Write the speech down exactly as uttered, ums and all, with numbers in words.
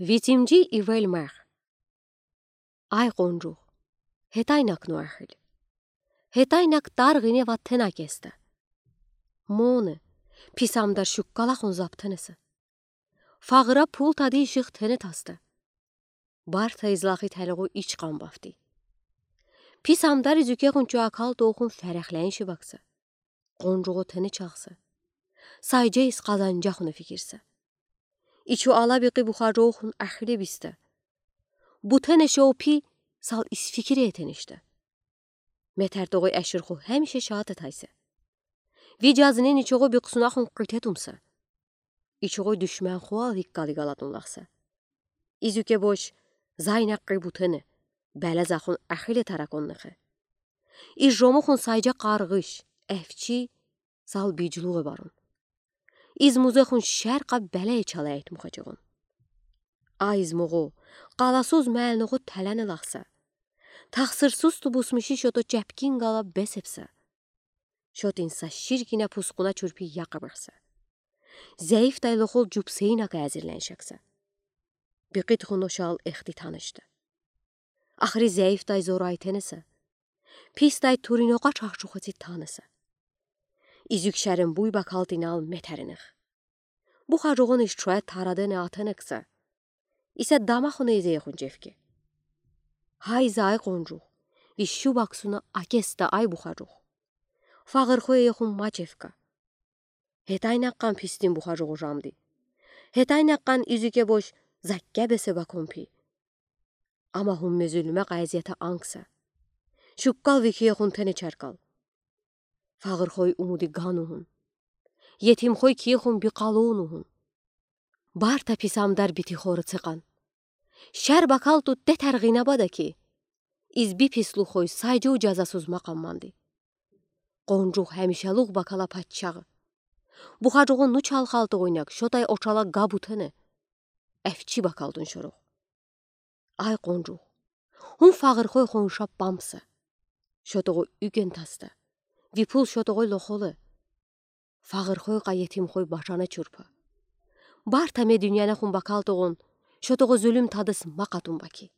Вицимжи ивел мех. Ай, къунжух, гетайнак ну эхил. Гетайнак дар гине ва тен акесте. Мони, пис амдар шуккалахун заптенесе. Фагъыра пул тадий иших тене тасте. Барта излахи телегу ич къамбафти. Пис амдар изюкегъун чу акал тоохун ферехлен шибакса. Къунжугъу тени чахса. Сайджа из къазанджахуну фикирсе. Ичу ала бикъи бухаржуухун эхили бисте. Бутене шоу пи сал из фикире этениште. Метер тогъуй эширху хемише шаат этайсе. Ви жазнин ичугъу бикъсунахун къите тумса. Ичугъу душмен хуал иккали галатун лахса. Изюке бош, зайнакъ къи бутене, беле захун эхиле тараконнихе. Из жомухун сайджа къаргъыш, эфчи, сал биджлугъе барун. Из музехун шеркъа беле ичале эт мухачагъун. Ай из мугъу, къаласуз мелнугъу телени лахса. Тахсырсуз тубусмиши шото чепкин гала бесепса. Шотин са ширгине пускуна чурпи якъа бахса. Зейф тай лохол жупсейна ка азирлен шакса. Бикъит хуно шал эхти танышты. Ахри зейф тай зорай тенесе. Пис тай туринока чахчухати танесе. Изюк шерен буй бакалтинал метеренех. Бухаржугъун иш чуэ тарадене атенексе. Исе дамахуна изеехун чевке. Гьай зай къунжух, вишу баксуна акеста ай бухаржух. Фагъырхуэехун ма чевка. Гетайнакъан пистин бухаржугъу жамди. Гетайнакъан изюке бош закке бесе бакон пи. Ама хум мезюлме къайзията анкса. Шуккал викиехун тене чаркал. Фагъырхой умуди ганухун. Етимхой киехун бикъалунухун. Барта пис амдар бити хоры цекъан. Шер бакал ту тетер гъина бада ки. Из би пислухой сайджу жазасуз макъамманди. Къунжух хемишелух бакала паччагъы. Бухаржугъу ну чалхалтугъуйнак шотай очала га бутене. Эфчи бакалтун шорух. Ай къунжух. Хум фагъырхой хонша памса. Шотогъу юген таста. Випул шотогъой лохолы. Фагъырхой къа етимхой башана чурпа. Барта ме дунияна хум бакалтугъун, шотогъу зюлюм тадыс макъатун баки.